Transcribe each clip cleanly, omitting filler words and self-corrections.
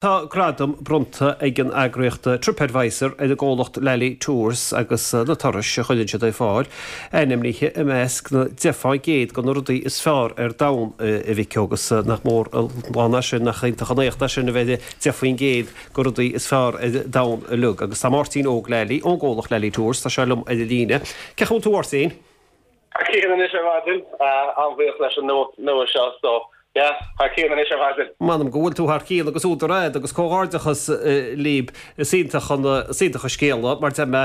Tá gradam bronnta ag an eagraíocht TripAdvisor ar an gcomhlacht Lally Tours agus na turais a chuireann siad ar fáil ainmnithe i measc na 10 fán gcéad de na rudaí is fearr ar domhan, a Mhic agus nach mór an lán é sin, nach iontach an éacht é sin a bheith ar 10 faoin gcéad de rudaí is fearr ar domhan uilig. Agus tá Máirtín Óg Lally ón gcomhlacht Lally Tours, tá sé liom ar an líne. Cén chaoi a bhfuil tú a Mháirtín? Thar cionn anois ar maidin. An-bhuíoch leis an nuacht nua seo so yeah, thar cionn anois ar maidin. M'anam go bhfuil tú thar cionn agus údar a'd agus comhghairdeachas libh. Is iontach an, is iontach an scéala mar deir mé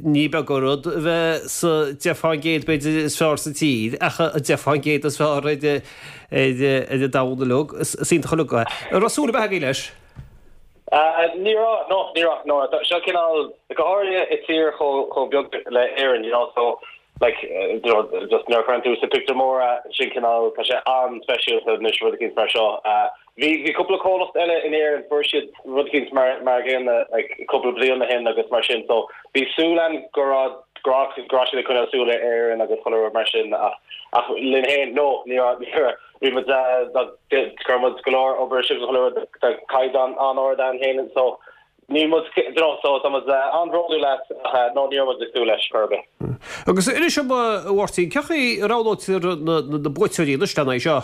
ní beag an rud a bheith sa 10 fán gcéad b'fhéidir is fearr sa tír ach an 10 fán gcéad is fearr ar ar ar an domhan uilig. Is iontach uilig é. An raibh súil ar bith agaibh leis? Ní raibh, no, ní raibh, no. Seo cineál, go háirithe i tír chomh chomh beag le Éirinn, you know, so like, you know, just nuair a chuireann tú sa pictiúr mór é, sin cineál, tá sé an-speisialta anois rud eicínt mar seo. Bhí, bhí cúpla comhlacht eile in Éirinn, fuair siad rud eicínt mar, mar a gcéanna, like, cúpla bliain ó shin agus mar sin, so bhí súil ann go raibh, go raibh, go raibh siad ag coinneáil súil ar Éirinn agus chuile rud mar sin ach, ach linn féin, no, ní raibh, ní raibh, bhí muid, chuir muid go leor obair isteach agus chuile rud, tá caighdeán an-ard ann féin so níl muid, you know, so tá muid an-bhródúil as ach no, ní raibh muid ag súil leis chor ar bith. Agus inis dom, a Mháirtín, cén chaoi a roghnaítear na buaiteoirí anois lena aghaidh seo?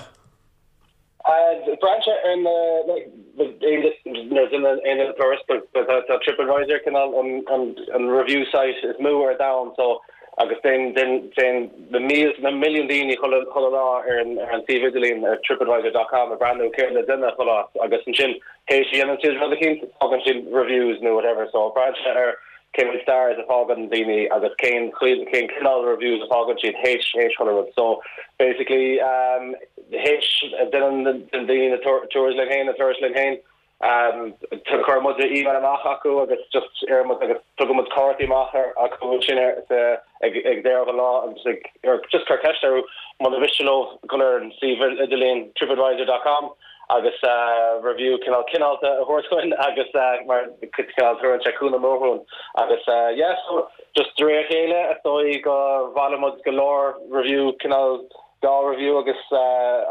Braitheann sé ar na, like, nuair a dhéanann aon duine turas, tá TripAdvisor cineál an review site is mó ar domhan so agus téann na mílte, na milliúin daoine chuile lá ar an suíomh idirlín ar tripadvisor dot com ag breathnú céard le déanamh chuile áit agus ansin théis a dhéanann siad rud eicínt fágann siad reviews nó whatever so braitheann sé ar cé mhéad stars a fágann daoine agus cén cén cineál reviews a fágann siad théis théis chuile rud so basically théis a déanann daoine na tours linn féin na turais linn féin Chuir muid email amach chucu agus just iarr muid agus tugann muid cártaí amach acu ansin ag ag deireadh an lá agus ag just cur ceist orthu muna mhiste leo dul ar an suíomh idirlíon tripadvisor dot com agus review cineál cineálta a thabhairt dúinn agus mar cineál tugann sé cúnamh mór dúinn agus yeah so just de réir a chéile is dóigh go bhailigh muid go leor review cineál dá review agus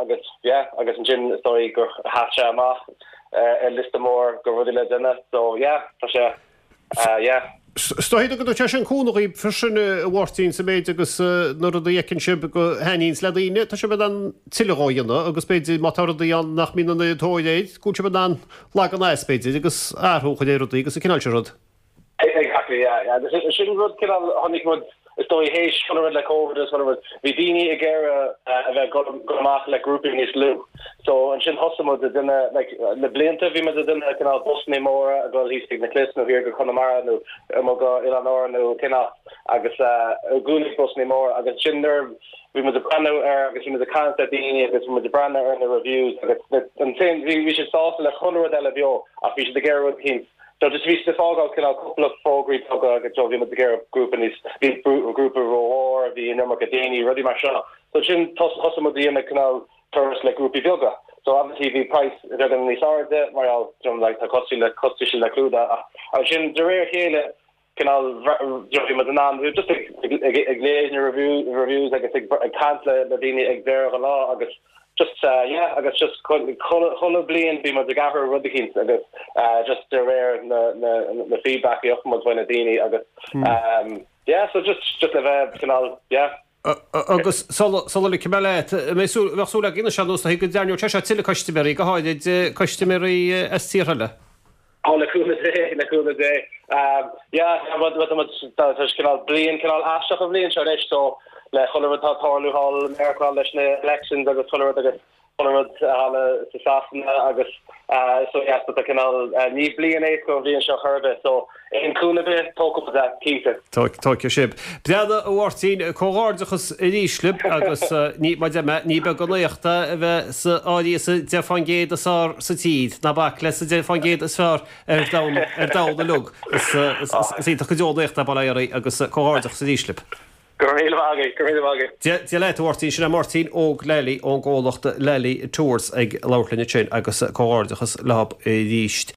agus yeah agus ansin is dóigh gur sheas sé amach ar liosta mór de rudaí le déanamh so yeah tá sé yeah. Is dóigh go dtugann sé sin cúnamh dhaoibh freisin a Mháirtín sa méid agus na rudaí a fheiceann sibh go thaitníonns le daoine tá sibh in ann tuilleadh dhó a dhéanamh agus b'fhéidir má tá rudaí ann nach mbíonn an oiread tóir air go bhfuil sibh in ann leagan as b'fhéidir agus athrú a chur ar rudaí agus an cineál sin rud. Exactly, yeah, yeah. Agus sin rud cineál a chonaic muid, is dóigh, théis chuile rud le Covid agus chuile rud, bhí daoine ag iarraidh a bheith ag dul amach le grúpaí níos lú. So ansin thosaigh muid ag déanamh, like, le blianta bhí muid ag déanamh cineál busannaí móra ag dul thíos chuig na Cliffs nó thiar go Conamara nó amuigh go Oileáin Árann nó cén áit agus i gcónaí busannaí móra agus ansin nuair bhí muid ag breathnú ar agus bhí muid ag caint le daoine agus bhí muid ag breathnú ar na reviews agus ansin bhí bhí siad sásta le chuile rud eile beo ach bhí siad ag iarraidh rud eicínt So just bhí siad ag fágáil cineál cúpla fógraí beaga agus so bhí muid ag iarraidh grúpa níos, bhí grúpa rómhór, bhí an iomarca daoine, rudaí mar seo. So sin thosaigh muid a dhéanamh cineál turas le grúpaí beaga. So obviously bhí price beagán níos airde mar gheall you know like tá costais le costais le clúdach ach ansin de réir a chéile cineál you know bhí muid in ann just ag ag ag léamh na review reviews agus ag ag caint le le daoine ag deireadh an lá agus Just yeah agus just chuile bliain bíonn muid ag athrú rud eicínt agus just de réir na na na feedback a fhaigheann muid ó na daoine agus yeah so just just le bheith cineál yeah. Agus sula sula ligfidh mé leat, an mbeidh súil bheadh súil againn anois ar nós go dtarraingeodh sé seo tuilleadh custaiméirí, go háirid custaiméirí as tíortha eile? Ó le cúnamh Dé, le cúnamh Dé. Yeah, tá sé cineál bliain cineál aisteach an bhliain seo anois so le chuile rud atá ag tarlú thall i Meiriceá leis na elections agus chuile rud agus chuile rud thall sa Sasana agus so yeah so tá cineál ní bliain éasca an bhliain seo chor ar bith so aon cúnamh ar bith tógfaidh muid é, cinnte. Tógfaidh sibh. Breathnaigh a Mháirtín, comhghairdeachas arís libh agus ní, mar a deir mé, ní beag an éacht é a bheith sa áirithe sa 10% is fearr sa tír, ná bac le sa 10% is fearr ar domhan, ar domhan uilig. Is, is iontach go deo an éacht é, bail ó Dhia oraibh agus comhghairdeachas arís libh. Go raibh míle maith agat, go raibh míle maith agat. Dia, Dia leat a Mháirtín, sin é Máirtín Óg Lally ón gcomhlacht Lally Tours ag labhairt linn ansin agus comhghairdeachas leob arís.